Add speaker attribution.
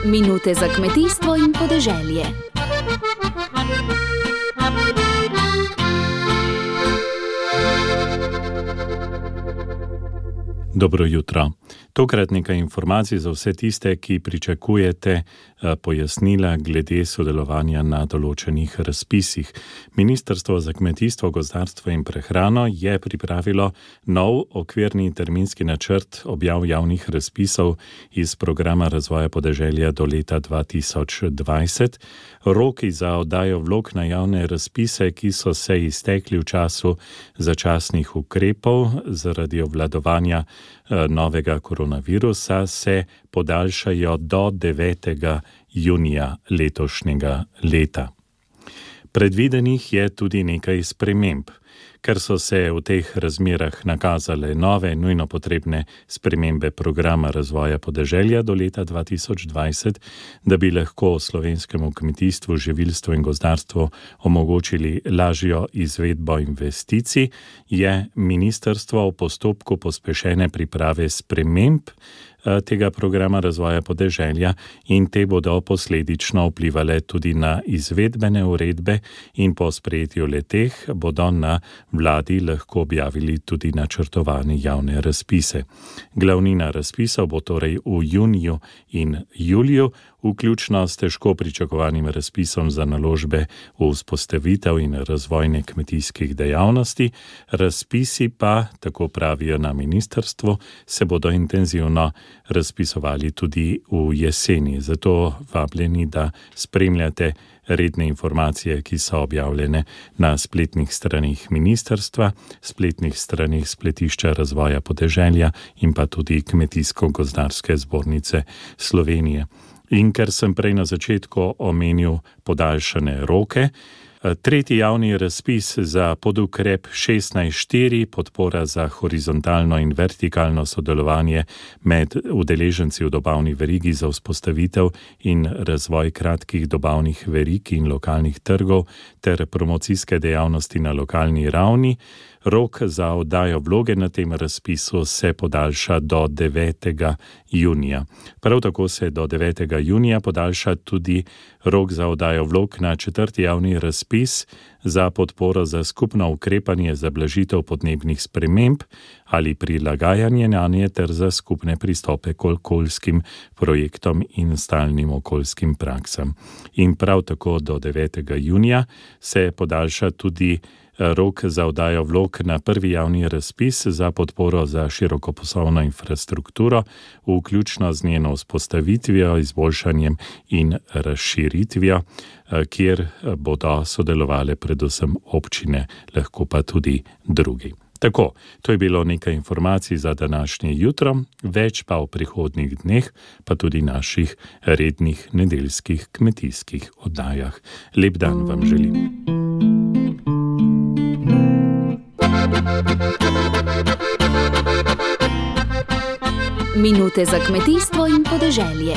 Speaker 1: Minute za kmetijstvo in podeželje.
Speaker 2: Dobro jutro. Tokrat nekaj informacij za vse tiste, ki pričakujete pojasnila glede sodelovanja na določenih razpisih. Ministrstvo za kmetijstvo, gozdarstvo in prehrano je pripravilo nov okvirni terminski načrt objav javnih razpisov iz programa razvoja podeželja do leta 2020. Roki za oddajo vlog na javne razpise, ki so se iztekli v času začasnih ukrepov zaradi obvladovanja novega koronavirusa, se podaljšajo do 9. junija letošnjega leta. Predvidenih je tudi nekaj sprememb. Ker so se v teh razmerah nakazale nove, nujno potrebne spremembe programa razvoja podeželja do leta 2020, da bi lahko slovenskemu kmetijstvu, živilstvu in gozdarstvu omogočili lažjo izvedbo investicij, je ministrstvo v postopku pospešene priprave sprememb tega programa razvoja podeželja in te bodo posledično vplivale tudi na izvedbene uredbe in po sprejetju le-teh bodo na vladi lahko objavili tudi načrtovane javne razpise. Glavnina razpisov bo torej v juniju in juliju, vključno s težko pričakovanim razpisom za naložbe v vzpostavitev in razvojne kmetijskih dejavnosti. Razpisi pa, tako pravijo na ministrstvu, se bodo intenzivno razpisovali tudi v jeseni. Zato vabljeni, da spremljate redne informacije, ki so objavljene na spletnih straneh ministrstva, spletnih straneh Spletišča razvoja podeželja in pa tudi Kmetijsko-gozdarske zbornice Slovenije. In ker sem prej na začetku omenil podaljšane roke, tretji javni razpis za podukrep 16.4, podpora za horizontalno in vertikalno sodelovanje med udeleženci v dobavni verigi za vzpostavitev in razvoj kratkih dobavnih verig in lokalnih trgov ter promocijske dejavnosti na lokalni ravni. Rok za oddajo vloge na tem razpisu se podaljša do 9. junija. Prav tako se do 9. junija podaljša tudi rok za oddajo vlog na četrti javni razpis za podporo za skupno ukrepanje za blažitev podnebnih sprememb ali prilagajanje nanje ter za skupne pristope k okoljskim projektom in stalnim okoljskim praksam. In prav tako do 9. junija se podaljša tudi rok za oddajo vlog na prvi javni razpis za podporo za širokopasovno infrastrukturo, vključno z njeno vzpostavitvijo, izboljšanjem in razširitvijo, kjer bodo sodelovale predvsem občine, lahko pa tudi drugi. Tako, to je bilo nekaj informacij za današnje jutro, več pa v prihodnjih dneh, pa tudi naših rednih nedeljskih kmetijskih oddajah. Lep dan vam želim.
Speaker 1: Minute za kmetijstvo in podeželje.